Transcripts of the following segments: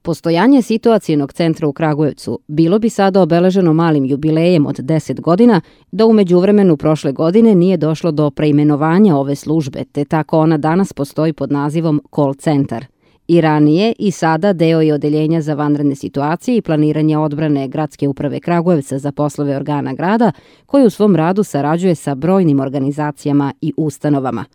Postojanje situacionog centra u Kragujevcu bilo bi sada obeleženo malim jubilejem od 10 godina, da u međuvremenu prošle godine nije došlo do preimenovanja ove službe, te tako ona danas postoji pod nazivom call centar. I ranije i sada deo je odeljenja za vanredne situacije i planiranje odbrane Gradske uprave Kragujevca za poslove organa grada, koji u svom radu sarađuje sa brojnim organizacijama i ustanovama.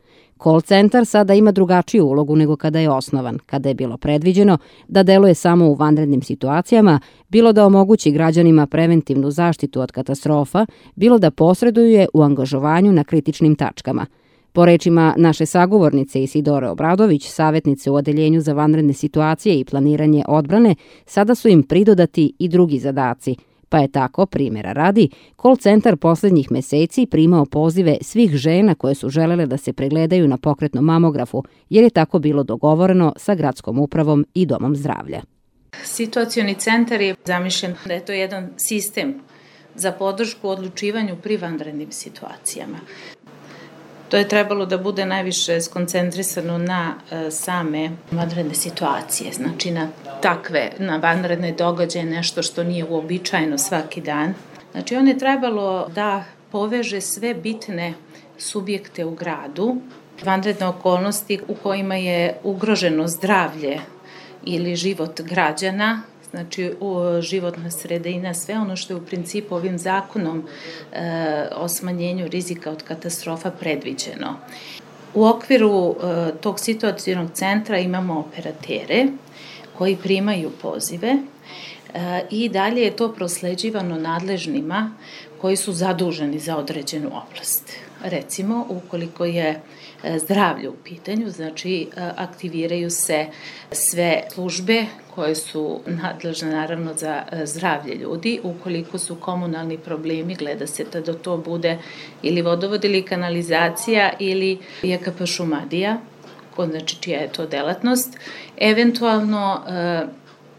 Call centar sada ima drugačiju ulogu nego kada je osnovan, kada je bilo predviđeno da deluje samo u vanrednim situacijama, bilo da omogući građanima preventivnu zaštitu od katastrofa, bilo da posreduje u angažovanju na kritičnim tačkama. Po rečima naše sagovornice Isidore Obradović, savjetnice u Odeljenju za vanredne situacije i planiranje odbrane, sada su im pridodati i drugi zadaci, pa je tako, primjera radi, call centar poslednjih meseci primao pozive svih žena koje su želele da se pregledaju na pokretnom mamografu, jer je tako bilo dogovoreno sa gradskom upravom i domom zdravlja. Situacioni centar je zamišljen da je to jedan sistem za podršku odlučivanju pri vanrednim situacijama. To je trebalo da bude najviše skoncentrisano na same vanredne situacije, znači na vanredne događaje, nešto što nije uobičajeno svaki dan. Znači on je trebalo da poveže sve bitne subjekte u gradu, vanredne okolnosti u kojima je ugroženo zdravlje ili život građana, znači životna sredina, sve ono što je u principu ovim zakonom o smanjenju rizika od katastrofa predviđeno. U okviru tog situacionog centra imamo operatere koji primaju pozive i dalje je to prosleđivano nadležnima koji su zaduženi za određenu oblast. Recimo, ukoliko je zdravlje u pitanju, znači aktiviraju se sve službe koje su nadležne naravno za zdravlje ljudi. Ukoliko su komunalni problemi, gleda se da to bude ili vodovod ili kanalizacija ili JKP Šumadija, znači čija je to delatnost. Eventualno,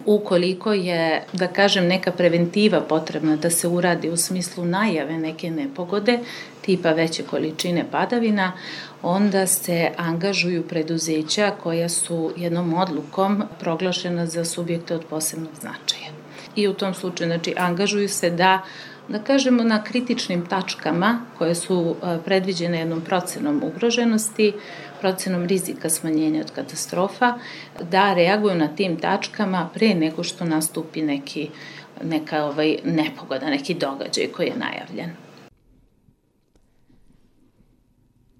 ukoliko je, da kažem, neka preventiva potrebna da se uradi u smislu najave neke nepogode, tipa veće količine padavina, onda se angažuju preduzeća koja su jednom odlukom proglašena za subjekte od posebnog značaja. I u tom slučaju, znači, angažuju se da kažemo, na kritičnim tačkama koje su predviđene jednom procenom ugroženosti, procenom rizika smanjenja od katastrofa, da reaguju na tim tačkama pre nego što nastupi neka nepogoda, neki događaj koji je najavljen.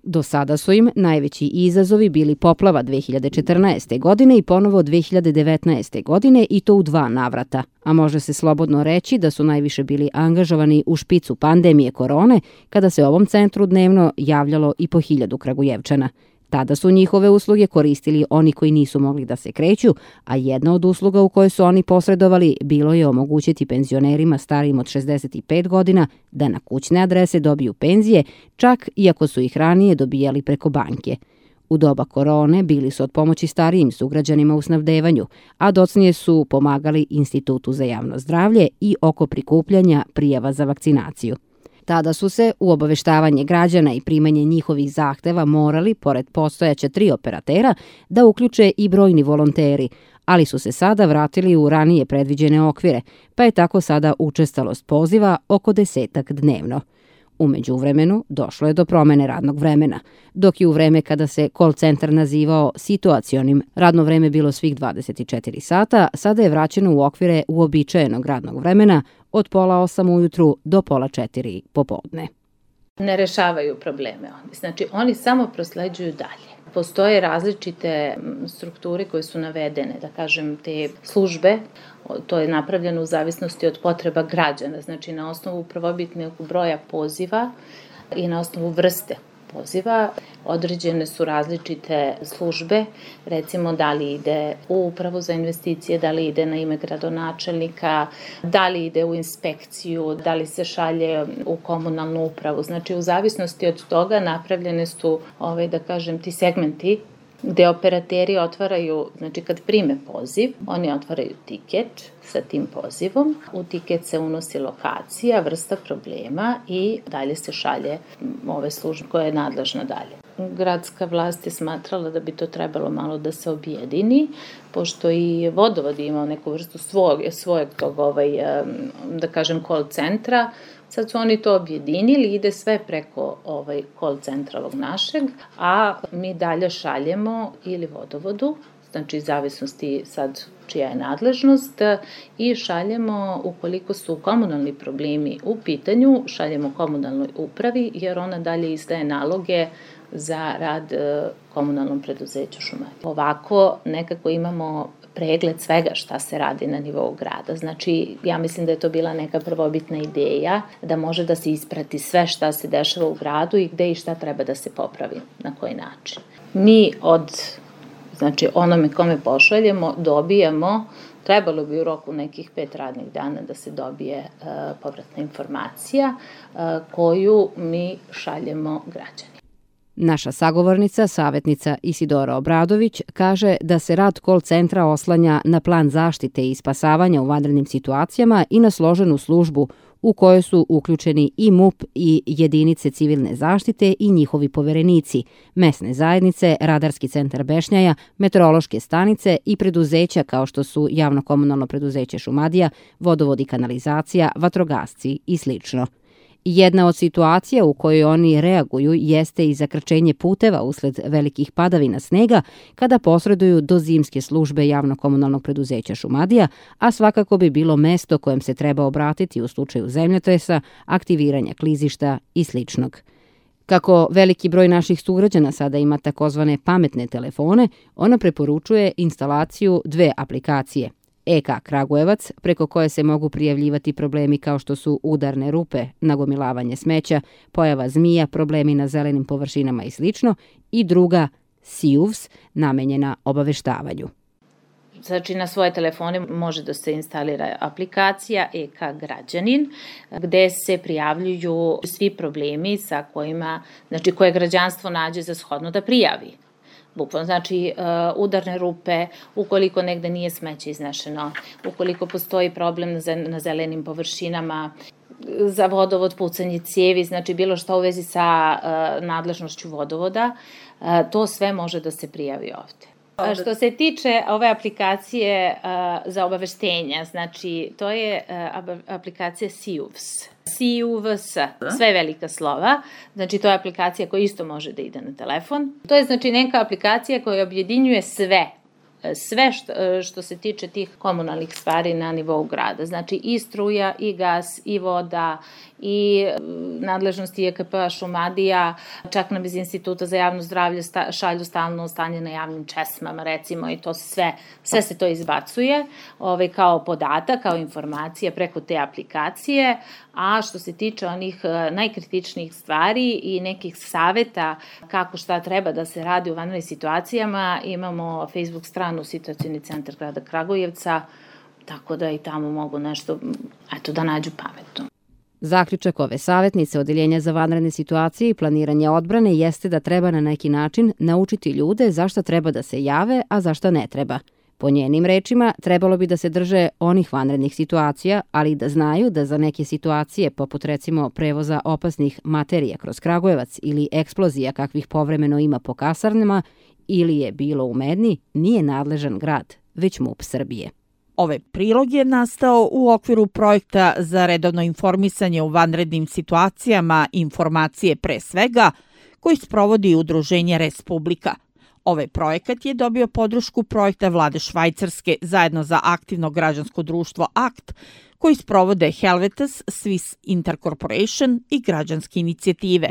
Do sada su im najveći izazovi bili poplava 2014. godine i ponovo 2019. godine i to u 2 navrata, a može se slobodno reći da su najviše bili angažovani u špicu pandemije korone, kada se ovom centru dnevno javljalo i po 1000 Kragujevčana. Tada su njihove usluge koristili oni koji nisu mogli da se kreću, a jedna od usluga u kojoj su oni posredovali bilo je omogućiti penzionerima starijim od 65 godina da na kućne adrese dobiju penzije, čak iako su ih ranije dobijali preko banke. U doba korone bili su od pomoći starijim sugrađanima u snabdevanju, a docnije su pomagali Institutu za javno zdravlje i oko prikupljanja prijava za vakcinaciju. Tada su se u obaveštavanje građana i primanje njihovih zahteva morali, pored postojaća 3 operatera, da uključe i brojni volonteri, ali su se sada vratili u ranije predviđene okvire, pa je tako sada učestalost poziva oko 10 dnevno. U međuvremenu došlo je do promene radnog vremena, dok je u vreme kada se call centar nazivao situacionim radno vreme bilo svih 24 sata, sada je vraćeno u okvire uobičajenog radnog vremena od 7:30 ujutru do 15:30 popodne. Ne rešavaju probleme oni, znači oni samo prosleđuju dalje. Postoje različite strukture koje su navedene, da kažem, te službe, to je napravljeno u zavisnosti od potreba građana, znači na osnovu prvobitnog broja poziva i na osnovu vrste poziva. Određene su različite službe, recimo da li ide u upravu za investicije, da li ide na ime gradonačelnika, da li ide u inspekciju, da li se šalje u komunalnu upravu. Znači u zavisnosti od toga napravljene su, da kažem, ti segmenti gde operateri otvaraju, znači kad prime poziv, oni otvaraju tiket sa tim pozivom, u tiket se unosi lokacija, vrsta problema i dalje se šalje ove službe koja je nadležna dalje. Gradska vlast je smatrala da bi to trebalo malo da se objedini, pošto i vodovod je imao neku vrstu svojeg tog, da kažem, call centra. Sad su oni to objedinili, ide sve preko call centra ovog našeg, a mi dalje šaljemo ili vodovodu, znači zavisnosti sad čija je nadležnost, i šaljemo, ukoliko su komunalni problemi u pitanju, šaljemo komunalnoj upravi, jer ona dalje izdaje naloge za rad komunalnom preduzeću Šumadija. Ovako nekako imamo pregled svega šta se radi na nivou grada. Znači, ja mislim da je to bila neka prvobitna ideja, da može da se isprati sve šta se dešava u gradu i gde i šta treba da se popravi, na koji način. Mi znači onome kome pošaljemo, dobijamo, trebalo bi u roku nekih 5 radnih dana da se dobije povratna informacija koju mi šaljemo građanima. Naša sagovornica, savjetnica Isidora Obradović, kaže da se rad call centra oslanja na plan zaštite i spasavanja u vanrednim situacijama i na složenu službu u kojoj su uključeni i MUP i jedinice civilne zaštite i njihovi poverenici, mesne zajednice, Radarski centar Bešnjaja, meteorološke stanice i preduzeća kao što su Javno-komunalno preduzeće Šumadija, vodovod i kanalizacija, vatrogasci i slično. Jedna od situacija u kojoj oni reaguju jeste i zakrčenje puteva usled velikih padavina snega kada posreduju do zimske službe Javno-komunalnog preduzeća Šumadija, a svakako bi bilo mesto kojem se treba obratiti u slučaju zemljotresa, aktiviranja klizišta i sličnog. Kako veliki broj naših sugrađana sada ima takozvane pametne telefone, ona preporučuje instalaciju 2 aplikacije – EK Kragujevac, preko koje se mogu prijavljivati problemi kao što su udarne rupe, nagomilavanje smeća, pojava zmija, problemi na zelenim površinama i sl. I druga SIUVS, namenjena obaveštavanju. Znači, na svoje telefone može da se instalira aplikacija EK Građanin, gde se prijavljuju svi problemi sa kojima, znači koje građanstvo nađe za shodno da prijavi. Bukvalno, znači udarne rupe, ukoliko negde nije smeće iznešeno, ukoliko postoji problem na zelenim površinama, za vodovod, pucanje cijevi, znači bilo što u vezi sa nadležnošću vodovoda, to sve može da se prijavi ovde. Što se tiče ove aplikacije za obaveštenja, znači to je aplikacija SIUVS. SIUVS, sve velika slova, znači to je aplikacija koja isto može da ide na telefon. To je znači neka aplikacija koja objedinjuje sve što se tiče tih komunalnih stvari na nivou grada. Znači i struja, i gas, i voda, i nadležnosti EKP-a Šumadija, čak nam iz Instituta za javno zdravlje šalju stalno stanje na javnim česmama, recimo, i to sve se to izbacuje kao podatak, kao informacija preko te aplikacije. A što se tiče onih najkritičnijih stvari i nekih saveta kako šta treba da se radi u vanrednim situacijama, imamo Facebook stranu Situacioni centar grada Kragujevca, tako da i tamo mogu nešto da nađu pametno. Zaključak ove savjetnice Odeljenja za vanredne situacije i planiranje odbrane jeste da treba na neki način naučiti ljude zašta treba da se jave, a zašta ne treba. Po njenim rečima, trebalo bi da se drže onih vanrednih situacija, ali i da znaju da za neke situacije, poput recimo prevoza opasnih materija kroz Kragujevac ili eksplozija kakvih povremeno ima po kasarnama ili je bilo u Medni, nije nadležan grad, već MUP Srbije. Ovaj prilog je nastao u okviru projekta za redovno informisanje u vanrednim situacijama Informacije pre svega, koji sprovodi Udruženje Respublika. Ovaj projekat je dobio podršku projekta vlade Švajcarske zajedno za aktivno građansko društvo ACT, koji sprovode Helvetas, Swiss Intercorporation i građanske inicijative.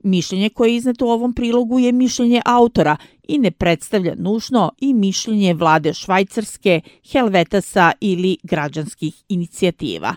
Mišljenje koje je izneto u ovom prilogu je mišljenje autora i ne predstavlja nužno i mišljenje vlade Švajcarske, Helvetasa ili građanskih inicijativa.